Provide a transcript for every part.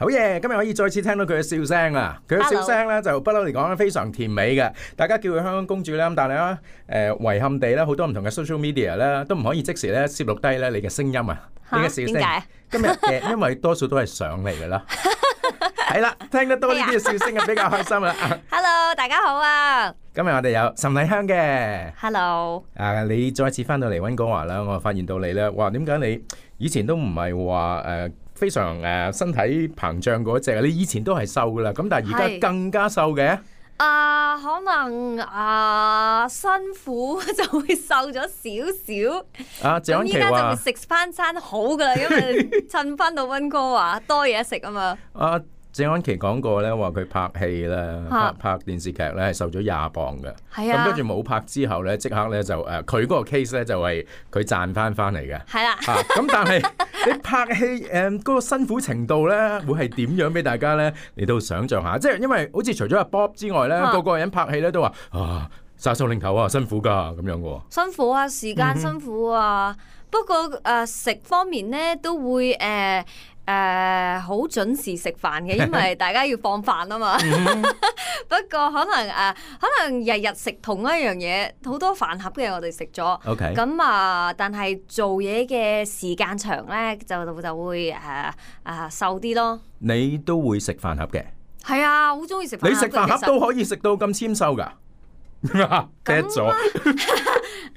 好嘢！今日可以再次聽到佢嘅笑聲啊！佢嘅笑聲咧就不嬲嚟講咧非常甜美嘅，大家叫佢香港公主咧，咁但係咧遺憾地咧好多唔同嘅 social media 咧都唔可以即時咧攝錄低咧你嘅聲音啊，你嘅笑聲。點解？今日因為多數都係上嚟嘅啦。係啦，聽得多呢啲嘅笑聲啊，比較開心啦。Hello， 大家好啊！今日我哋有岑麗香嘅。Hello。你再次翻到嚟溫哥華啦，我發現到你咧，哇！點解你以前都唔係話非常身體膨脹嗰隻？你以前都係瘦噶啦，咁但係而家更加瘦嘅。可能辛苦就會瘦咗少少。謝安琪話，咁依家就會食翻餐好噶啦，因為趁翻到溫哥華多嘢食啊嘛。謝安琪講過咧，話佢拍戲咧，拍電視劇咧係瘦咗20磅嘅。係啊。咁跟住冇拍之後咧，即刻咧就佢嗰個 case 咧就係佢賺翻嚟嘅。係啦。咁但係你拍戲嗰個辛苦程度咧，會係點樣俾大家咧嚟到想像下？即係因為好似除咗阿 Bob 之外咧，個人拍戲咧都話殺手領頭啊，辛苦㗎咁樣嘅喎。辛苦啊，時間辛苦啊。不過食方面咧都會好準時食飯嘅，因為大家要放飯啊嘛。不過可能日日食同一樣嘢，好多飯盒嘅我哋食咗。OK。咁但係做嘢嘅時間長咧，就會瘦啲咯。你都會食飯盒嘅？係啊，好中意食飯盒。你食飯盒都可以食到咁纖瘦㗎？跌咗，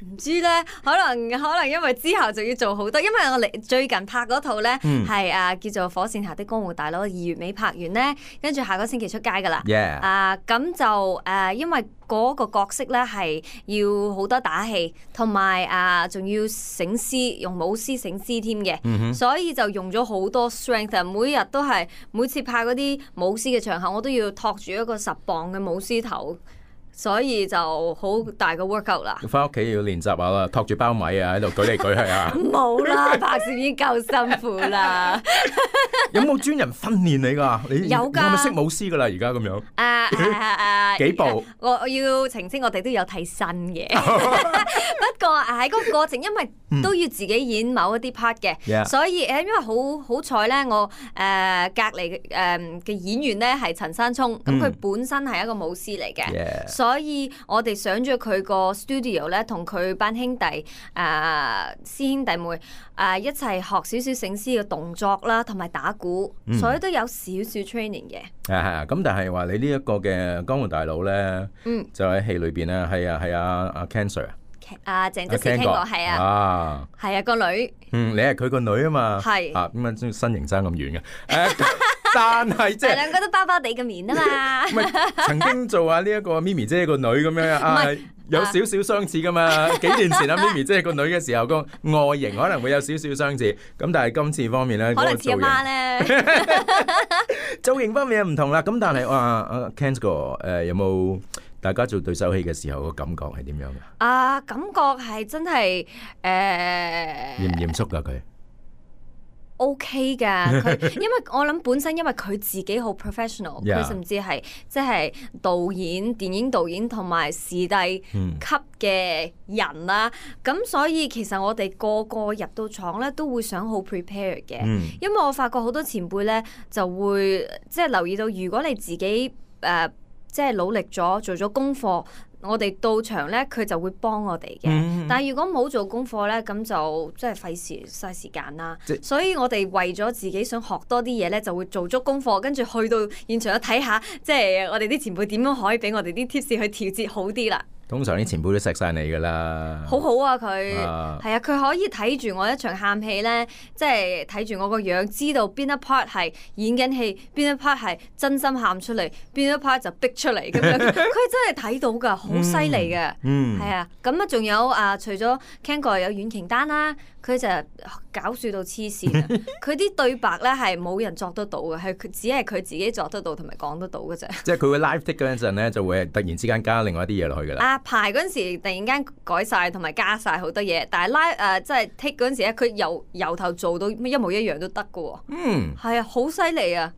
唔知咧，可能因為之後就要做好多，因為我哋最近拍嗰套咧係叫做《火線下的江湖大佬》，2月尾拍完咧，跟住下個星期出街噶啦。咁就因為嗰個角色咧係要好多打戲，同埋仲要醒獅，用舞獅醒獅添嘅，所以就用咗好多 strength。每日都係每次拍嗰啲舞獅嘅場合，我都要托住一個10磅嘅舞獅頭。所以就好大個 workout 啦。翻屋企要練習下啦，托住包米啊，喺度舉嚟舉去啊。冇啦，拍攝已經夠辛苦啦。有冇專人訓練你㗎？你有㗎。係咪識舞獅㗎啦？而家咁樣。幾步？我要澄清，我哋都有替身嘅。不過喺嗰個過程，因為都要自己演某一啲 part 嘅，所以因為好彩咧，我隔離嘅演員咧係陳山聰，咁佢本身係一個舞獅嚟嘅。所以我哋上咗佢個 studio 咧，同佢班兄弟師兄弟妹一齊學少少醒獅嘅動作啦，同埋打鼓，所以都有少少 training 嘅。係咁但係話你呢一個嘅江湖大佬咧，就喺戲裏邊咧，係阿 Cancer 鄭則仕傾過，係啊，係啊個女，你係佢個女啊嘛，係咁身形爭咁遠嘅。但係即係兩個都包包地嘅面啊嘛，唔係曾經做下呢一個咪咪姐個女咁樣有少少相似噶嘛。幾年前咪咪姐個女嘅時候個外形可能會有少少相似，咁但係今次方面咧，可能似阿媽咧，造型方面又唔同啦。咁但係阿 Ken 哥有冇大家做對手戲嘅時候個感覺係點樣嘅？感覺係真係嚴唔嚴肅噶佢？OK 噶，佢因為我諗本身因為佢自己好 professional， 佢甚至係即係導演、電影導演同埋視帝級嘅人啦。咁所以其實我哋個入到廠咧都會想好 prepare 嘅，因為我發覺好多前輩咧就會即係留意到，如果你自己即係努力咗做咗功課，我哋到場咧，佢就會幫我哋嘅。但係如果冇做功課咧，咁就即係嘥時間啦。所以我哋為咗自己想學多啲嘢咧，就會做足功課，跟住去到現場睇下，即係我哋啲前輩點樣可以俾我哋啲 tips 去調節好啲啦。通常啲前輩都錫晒你噶啦，好好啊佢，係啊佢可以睇住我一場喊戲咧，即係睇住我個樣，知道邊一 part 係演緊戲，邊一 part 係真心喊出嚟，邊一 part 就逼出嚟咁樣，佢真係睇到噶，好犀利嘅，係啊，咁啊仲有除咗 Ken 哥有阮瓊丹啦，佢就搞笑到黐線啊，佢啲對白咧係冇人作得到嘅，係佢只係佢自己作得到同埋講得到嘅啫。即係佢會 live take 嗰陣咧，就會突然之間加另外一啲嘢落去噶啦。排嗰陣時突然間改晒同埋加晒好多嘢，但係即係 take 嗰陣時咧，佢由頭做到一模一樣都得㗎喎。係啊，好犀利啊！